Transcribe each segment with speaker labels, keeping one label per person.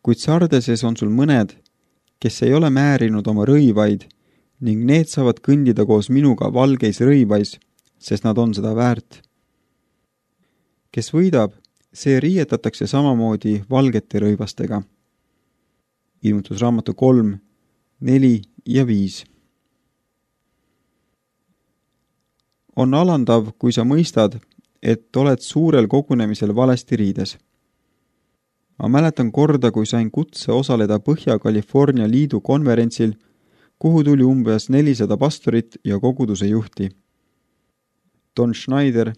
Speaker 1: kuid Sardeses on sul mõned, kes ei ole määrinud oma rõivaid ning need saavad kõndida koos minuga valgeis rõivais, sest nad on seda väärt. Kes võidab, see riietatakse samamoodi valgete rõivastega. Ilmutusraamatu 3, 4 ja 5. On alandav, kui sa mõistad, et oled suurel kogunemisel valesti riides. Ma mäletan korda, kui sain kutse osaleda Põhja-California liidu konverentsil, kuhu tuli umbes 400 pastorit ja koguduse juhti. Don Schneider,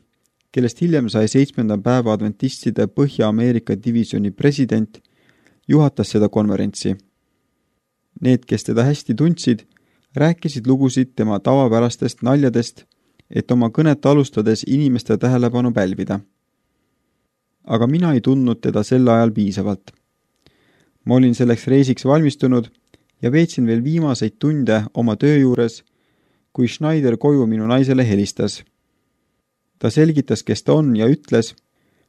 Speaker 1: kellest hiljem sai 7. päeva adventistide Põhja-Ameerika divisjoni president, juhatas seda konverentsi. Need, kes teda hästi tundsid, rääkisid lugusid tema tavapärastest naljadest, et oma kõnet alustades inimeste tähelepanu pälvida. Aga mina ei tundnud teda sel ajal piisavalt. Ma olin selleks reisiks valmistunud ja veetsin veel viimaseid tunde oma töö juures, kui Schneider koju minu naisele helistas. Ta selgitas, kes ta on ja ütles,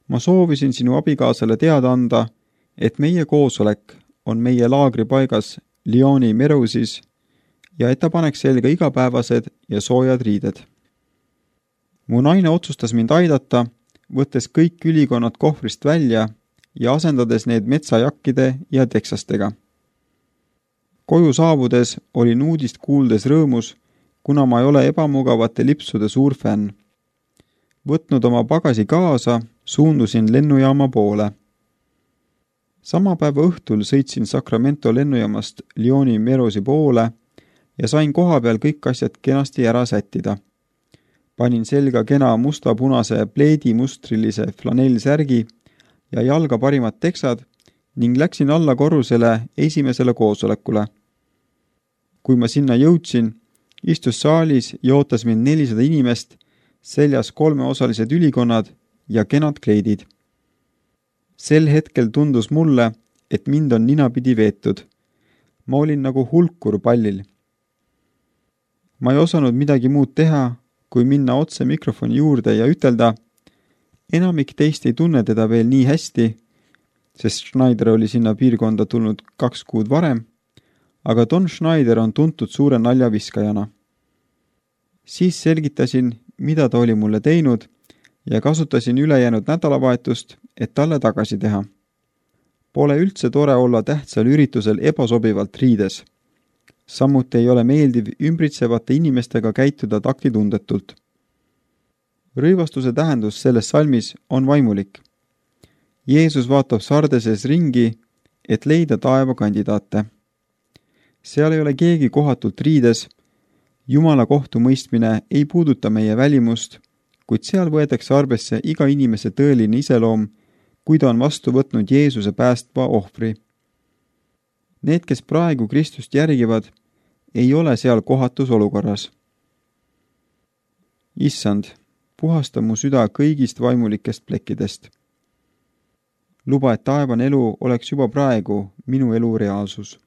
Speaker 1: ma soovisin sinu abikaasale teada anda, et meie koosolek on meie laagripaigas Lyoni Mereusis ja et ta paneks selga igapäevased ja soojad riided. Mu naine otsustas mind aidata, võttes kõik ülikonnad kohvrist välja ja asendades need metsajakkide ja teksastega. Koju saabudes olin uudist kuuldes rõõmus, kuna ma ei ole ebamugavate lipsude suur fänn. Võtnud oma pagasi kaasa, suundusin lennujaama poole. Sama päeva õhtul sõitsin Sacramento lennujaamast Lyoni Mereusi poole ja sain koha peal kõik asjad kenasti ära sättida. Panin selga kena musta-punase pleedimustrilise flanellsärgi ja jalga parimad teksad ning läksin alla korrusele esimesele koosolekule. Kui ma sinna jõudsin, istus saalis ja ootas mind 400 inimest, seljas 3-osalised ülikonnad ja kenad kleidid. Sel hetkel tundus mulle, et mind on ninapidi veetud. Ma olin nagu hulkur pallil. Ma ei osanud midagi muud teha, kui minna otse mikrofoni juurde ja ütelda, enamik teist ei tunne teda veel nii hästi, sest Schneider oli sinna piirkonda tulnud 2 kuud varem, aga Don Schneider on tuntud suure naljaviskajana. Siis selgitasin, mida ta oli mulle teinud ja kasutasin ülejäänud nädalavahetust, et talle tagasi teha. Pole üldse tore olla tähtsal üritusel ebasobivalt riides. Samuti ei ole meeldiv ümbritsevate inimestega käituda taktitundetult. Rõivastuse tähendus selles salmis on vaimulik. Jeesus vaatab Sardeses ringi, et leida taeva kandidaate. Seal ei ole keegi kohatult riides, Jumala kohtumõistmine ei puuduta meie välimust, kuid seal võetakse arvesse iga inimese tõeline iseloom, kui ta on vastu võtnud Jeesuse päästva ohvri. Need, kes praegu Kristust järgivad, ei ole seal kohatus olukorras. Issand, puhasta mu süda kõigist vaimulikest plekkidest. Luba, et taevane elu oleks juba praegu minu elu reaalsus.